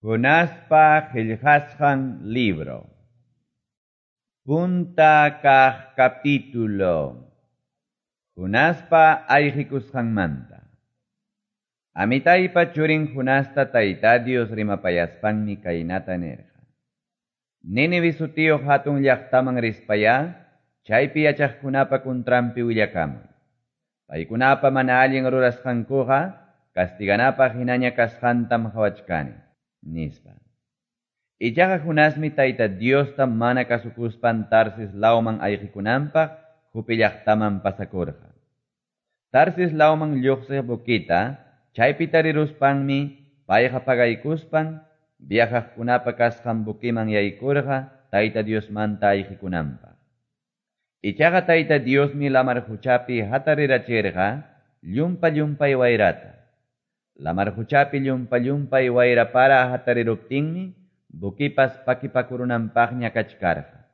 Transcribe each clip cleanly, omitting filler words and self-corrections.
Jonaspa qillqasqan libro. Punta kaq capítulo. Jonaspa ayqikusqanmanta. Amitaypa churin Jonasta Tayta Dios rimapayaspanmi kaynata nirqa. Nínive sutiyuq hatun llaqtaman rispayá, chaypi yachaqkunapa kuntranpi willakamuy. Paykunapa mana allin rurasqankuqa castiganapaq hinaña kasqantam qawachkani, nispa. Ichaqa Jonasmi Tayta Diosta mana kasukuspan Tarsis lawman ayqikunanpaq Jope llaqtaman pasakurqa. Tarsis lawman lluqsiq buquita chaypi tariruspanmi payqa pagaykuspan viajaqkunapa kasqan buquiman yaykurqa Tayta Diosmanta ayqikunanpaq. Ichaqa Tayta Diosmi lamar quchapi hatarirachirqa llumpa-llumpay wayrata. Lamar quchapi llumpa-llumpay wayra para hatariruptinmi buquipas pakipakurunanpaqña kachkarqa.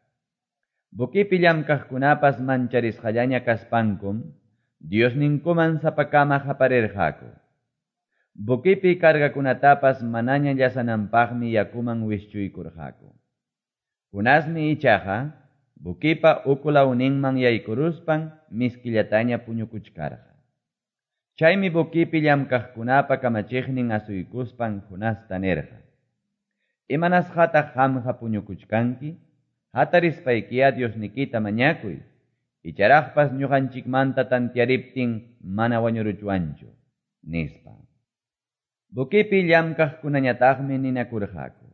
Buquipi llamkaqkunapas mancharisqallaña kaspankum Diosninkuman sapakama qaparirqaku. Buquipi cargakunatapas manaña llasananpaqmi yakuman wischuykurqaku. Jonasmi ichaqa buquipa uku lawninman yaykuruspan miskillataña puñukuchkarqa. Chaymi buquipi llamkaqkunapa kamachiqnin asuykuspan Jonasta nirqa: Imanasqataq qamqa puñukuchkanki? Hatarispaykiya Diosnikita mañakuy. Icharaqpas ñuqanchikmanta tantiariptin mana wañuruchwanchu, nispa. Buquipi llamkaqkunañataqmi ninakurqaku: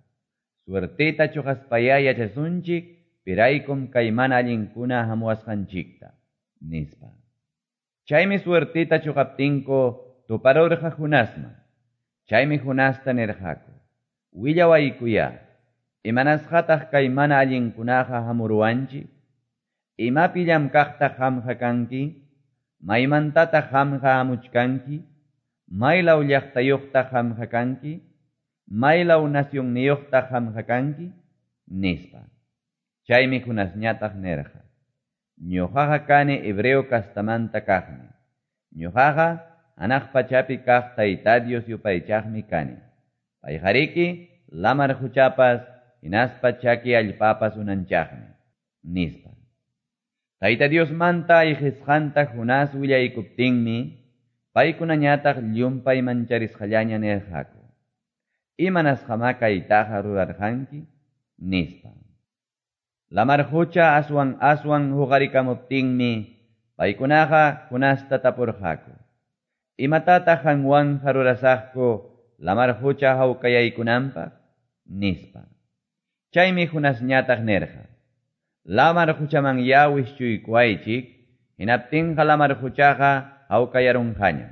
Suerteta chuqaspayá yachasunchik, piraykum kay mana allinkuna hamuwasqanchikta, nispa. Chaymi suerteta chuqaptinku tuparurqa Jonasman. Chaymi Jonasta nirqaku: Willawaykuyá, imanasqataq kay mana allinkunaqa hamuruwanchik? Imapi llamkaqtaq qamqa kanki? Maymantataq qamqa hamuchkanki? Maylaw llaqtayuqtaq qamqa kanki? Maylaw nacionniyuqtaq qamqa kanki? Nispa. Chaymi Jonasñataq nirqa: Ñuqaqa kani hebreo kastamanta kaqmi. Ñuqaqa hanaq pachapi kaq Tayta Dios yupaychaqmi kani. Payqariki lamar quchapas hinaspa chaki allpapas unanchaqmi, nispa. Tayta Diosmanta ayqisqanta Jonás willaykuptinmi paykunañataq llumpay mancharisqallaña nirqaku: Imanasqamá kaytaqa rurarqanki? Nispa. Lamar qucha aswan aswan huqarikamuptinmi paykunaqa Jonasta tapurqaku: Imatataq qanwanqa rurasaqku lamar qucha hawkayaykunanpaq? Nispa. Chaymi Jonasñataq nirqa: Lamar quchamanyá wischuykuwaychik, hinaptinqa lamar quchaqa hawkayarunqañam.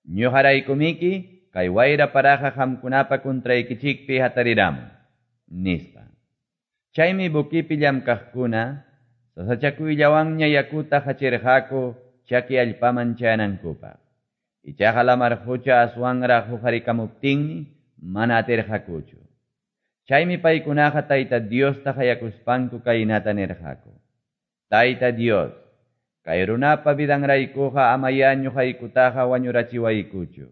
Ñuqaraykumiki kay wayra paraqa qamkunapa kuntraykichikpi hatariramun, nispa. Chaymi buquipi llamkaqkuna sasachakuyllawanña yakuta hachirqaku chaki allpaman chayanankupaq. Ichaqa lamar qucha aswanraq huqarikamuptinmi mana atirqakuchu. Chaymi paykunaqa Tayta Diosta qayakuspanku kaynata nirqaku: Tayta Dios, kay runapa vidanraykuqa amayá ñuqaykutaqa wañurachiwaykuchu.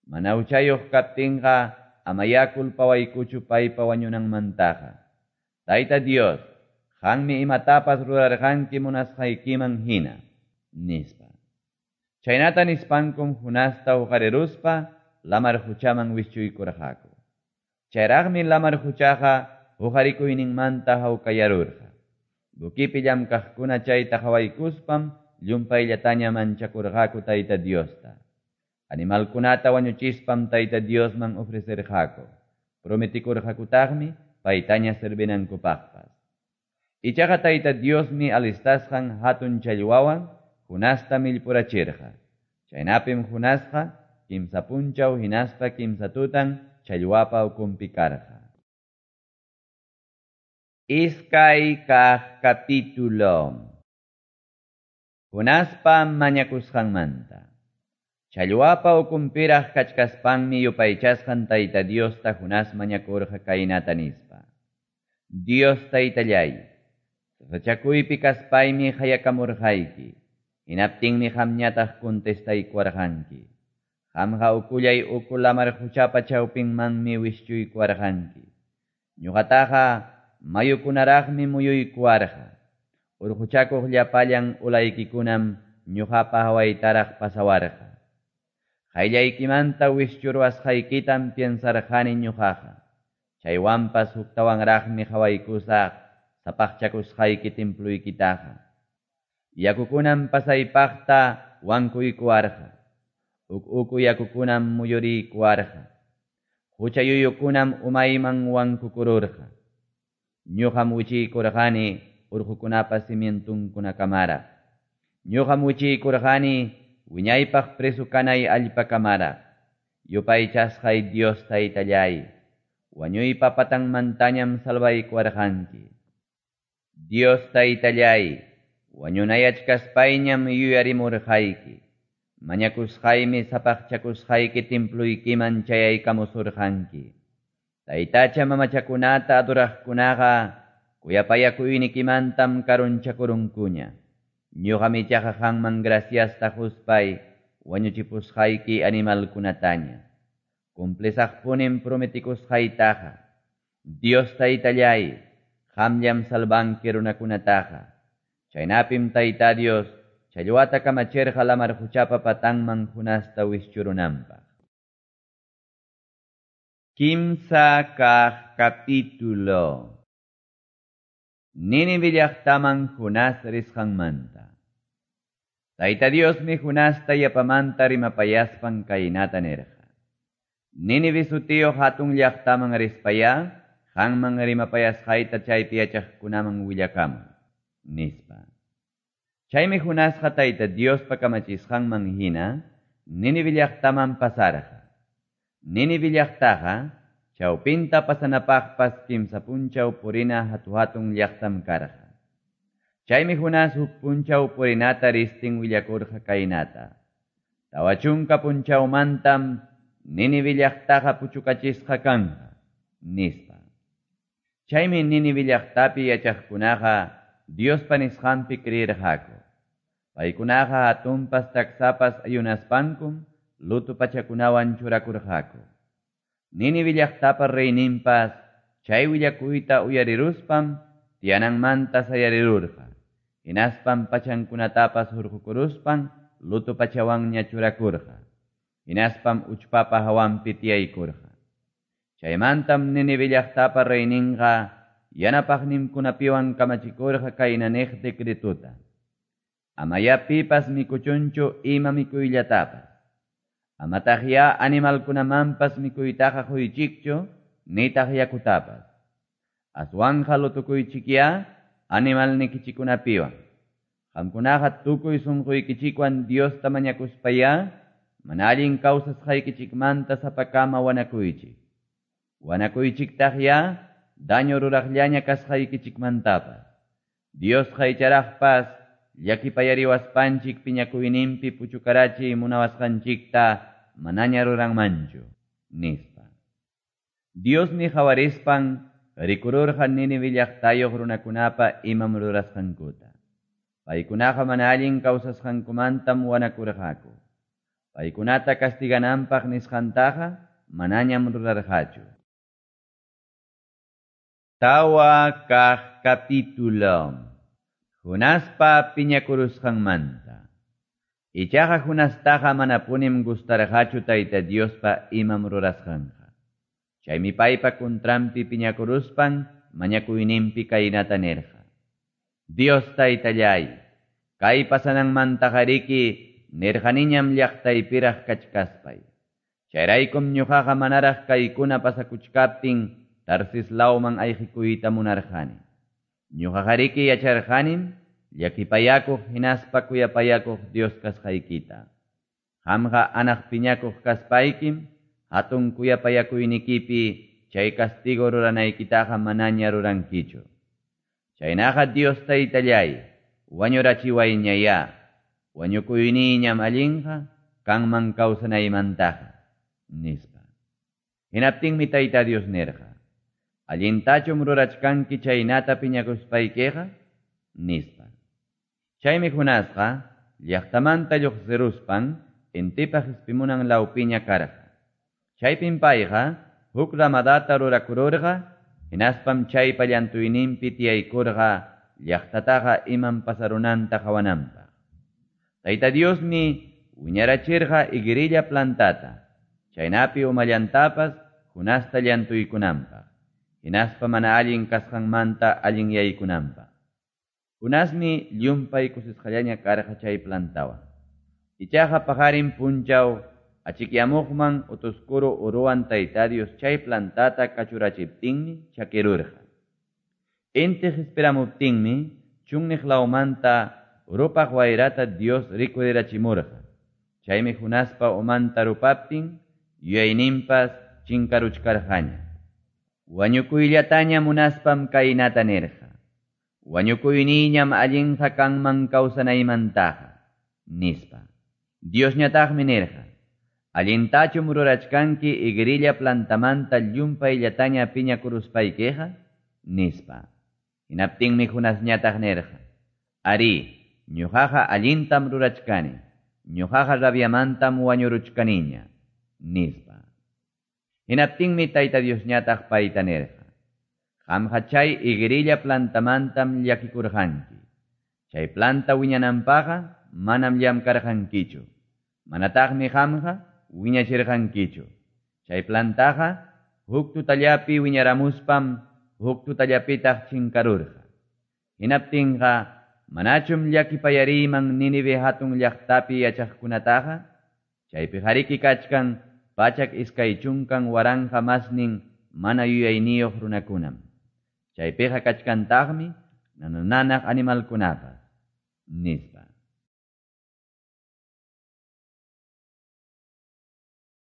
Mana huchayuq kaptinqa amayá culpawaykuchu paypa wañunanmantaqa. Tayta Dios, qanmi imatapas rurarqanki munasqaykiman hina, nispa. Chaynata nispankum Jonasta huqariruspa lamar quchaman wischuykurqaku. Chayraqmi lamar quchaqa huqarikuyninmanta hawkayarurqa. Buquipi llamkaqkuna chayta qawaykuspam llumpayllataña manchakurqaku Tayta Diosta. Animalkunata wañuchispam Tayta Diosman ofrecerqaku. Prometikurqakutaqmi paytaña servinankupaqpas. Ichaqa Tayta Diosmi alistasqan hatun challwawan Jonasta millpurachirqa. Chaynapim Jonasqa kimsa punchaw hinaspa kimsa tutan challwapa ukunpi karqa. Iskay kaq capítulo. Jonaspa mañakusqanmanta. Challwapa ukunpiraq kachkaspanmi yupaychasqan Tayta Diosta Jonás mañakurqa kaynata nispa: Dios Taytallay, sasachakuypi kaspaymi qayakamurqayki, hinaptinmi qamñataq contestaykuwarqanki. Qamqa ukullay uku lamar quchapa chawpinmanmi wischuykuwarqanki. Ñuqataqa mayukunaraqmi muyuykuwarqa. Urquchakuq llapallan ulaykikunam ñuqapa hawaytaraq pasawarqa. Qayllaykimanta wischuruwasqaykitam piensarqani ñuqaqa. Chaywanpas huktawanraqmi qawaykusaq sapaqchakusqayki temploykitaqa. Yakukunam pasaypaqta wankuykuwarqa. Uku yakukunam muyuriykuwarqa. Hucha yuyukunam umayman wankukururqa. Ñuqam wichiykurqani urqukunapa cimientunkunakamara. Ñuqam wichiykurqani wiñaypaq preso kanay allpakamara. Yupaychasqay Dios Taytallay, wañuypa patanmantañam salvaykuwarqanki. Dios Taytallay, wañunayachkaspayñam yuyarimurqayki. Mañakusqaymi sapaqchakusqayki temploykiman chayaykamusurqanki. Taytacha mamachakunata adoraqkunaqa kuyapayakuynikimantam karunchakurunkuña. Ñuqam ichaqa qanman graciasta quspay wañuchipusqayki animalkunataña. Cumplisaqpunim prometikusqaytaqa. Dios Taytallay, qamllam salvanki runakunataqa. Chaynapim Tayta Dios challwata kamachirqa lamar quchapa patanman Jonasta wischurunanpaq. Kimsa kaq capítulo. Nínive llaqtaman Jonás risqanmanta. Tayta Diosmi Jonasta yapamanta rimapayaspan kaynata nirqa. Nínive sutiyuq hatun llaqtaman rispayá, qanman rimapayasqayta chaypi yachaqkunaman willakamuy, nispa. Chaymi Jonasqa Tayta Diospa kamachisqanman hina Nínive llaqtaman pasarqa. Nínive llaqtaqa chawpinta pasanapaqpas kimsa punchaw purina hatu-hatun llaqtam karqa. Chaymi Jonás huk punchaw purinata ristin willakurqa kaynata. 40 punchawmantam Nínive llaqtaqa puchukachisqa kanqa, nispa. Chaymi Nínive llaqtapi yachaqkunaqa Diospa nisqanpi creerqaku. Paykunaqa hatunpas taksapas ayunaspankum luto pachakunawan churakurqaku. Nínive llaqtapa reyninpas chay willakuyta uyariruspam tiyananmanta sayarirurqa. Hinaspam pachankunatapas hurqukuruspan luto pachawanña churakurqa. Hinaspam uchpapa hawanpi tiyaykurqa. Chaymantam Nínive llaqtapa reyninqa yanapaqninkunapiwan kamachikurqa kayna niq decretuta. Amayá pipas mikuchunchu ima mikuyllatapas. Amataqyá animalkunamanpas mikuytaqa quychikchu nitaq yakutapas. Aswanqa lutukuychikyá animalnikichikunapiwan. Qamkunaqa tukuy sunquykichikwan Diosta mañakuspayá mana allin kawsasqaykichikmanta sapakama wanakuychik. Wanakuychiktaqyá daño ruraqllaña kasqaykichikmantapas. Diosqa icharaqpas llakipayariwaspanchik piñakuyninpi puchukarachiy munawasqanchikta manaña ruranmanchu, nispa. Diosmi qawarispan rikururqa Nínive llaqtayuq runakunapa imam rurasqankuta. Paykunaqa mana allin kawsasqankumantam wanakurqaku. Paykunata castigananpaq nisqantaqa manañam rurarqachu. 4 kaq capítulo. Jonaspa piñakurusqanmanta. Ichaqa Jonastaqa manapunim gustarqachu Tayta Diospa imam rurasqanqa. Chaymi paypa contranpi piñakuruspan mañakuyninpi kaynata nirqa. Dios Taytallay, kay pasananmantaqariki nirqaniñam llaqtaypiraq kachkaspay. Chayraykum ñuqaqa manaraq kaykuna pasakuchkaptin Tarsis lawman ayqikuyta munarqani. Ñuqaqariki yacharqanim llakipayakuq hinaspa kuyapayakuq Dios kasqaykita. Qamqa anaq piñakuq kaspaykim hatun kuyapayakuynikipi chay castigo ruranaykitaqa manaña rurankichu. Chaynaqa Dios Taytallay, wañurachiwayñayá, wañukuyniñam allinqa kanman kawsanaymantaqa, nispa. Hinaptinmi Tayta Dios nirqa: Allintachum rurachkanki chaynata piñakuspaykiqa, nispa. Chaymi Jonasqa llaqtamanta lluqsiruspan intipa qespimunan lawpiña karqa. Chaypim payqa huk ramadata rurakururqa, hinaspam chaypa llantuyninpi tiyaykurqa llaqtataqa imam pasarunanta qawananpaq. Tayta Diosmi wiñarachirqa higuerilla plantata, chaynapi umallantapas Jonasta llantuykunanpaq, hinaspa mana allin kasqanmanta allinyaykunanpaq. Jonasmi llumpay kusisqallaña karqa chay plantawan. Ichaqa paqarin punchaw achikyamuqman utuskuru uruwan Tayta Dios chay plantata kachurachiptinmi chakirurqa. Inti qespiramuptinmi chunniq lawmanta rupaq wayrata Dios rikurirachimurqa. Chaymi Jonaspa umanta rupaptin yuyayninpas chinkaruchkarqaña. Wañukuyllataña munaspam kaynata nirqa: Wañukuyniyñam allinqa kanman kawsanaymantaqa, nispa. Diosñataqmi nirqa: Allintachum rurachkanki higuerilla plantamanta llumpayllataña piñakuruspaykiqa, nispa. Hinaptinmi Jonasñataq nirqa: Arí, ñuqaqa allintam rurachkani, ñuqaqa rabiamantam wañuruchkaniña, nispa. Hinaptinmi Tayta Diosñataq payta nirqa: Qamqa chay higuerilla plantamantam llakikurqanki. Chay planta wiñananpaqqa manam llamkarqankichu. Manataqmi qamqa wiñachirqankichu. Chay plantaqa huk tutallapi wiñaramuspam huk tutallapitaq chinkarurqa. Hinaptinqa manachum llakipayariyman Nínive hatun llaqtapi yachaqkunataqa? Chaypiqariki kachkan 120,000 masnin mana yuyayniyuq runakunam. Chaypiqa kachkantaqmi nanananaq animalkunapas, nispa.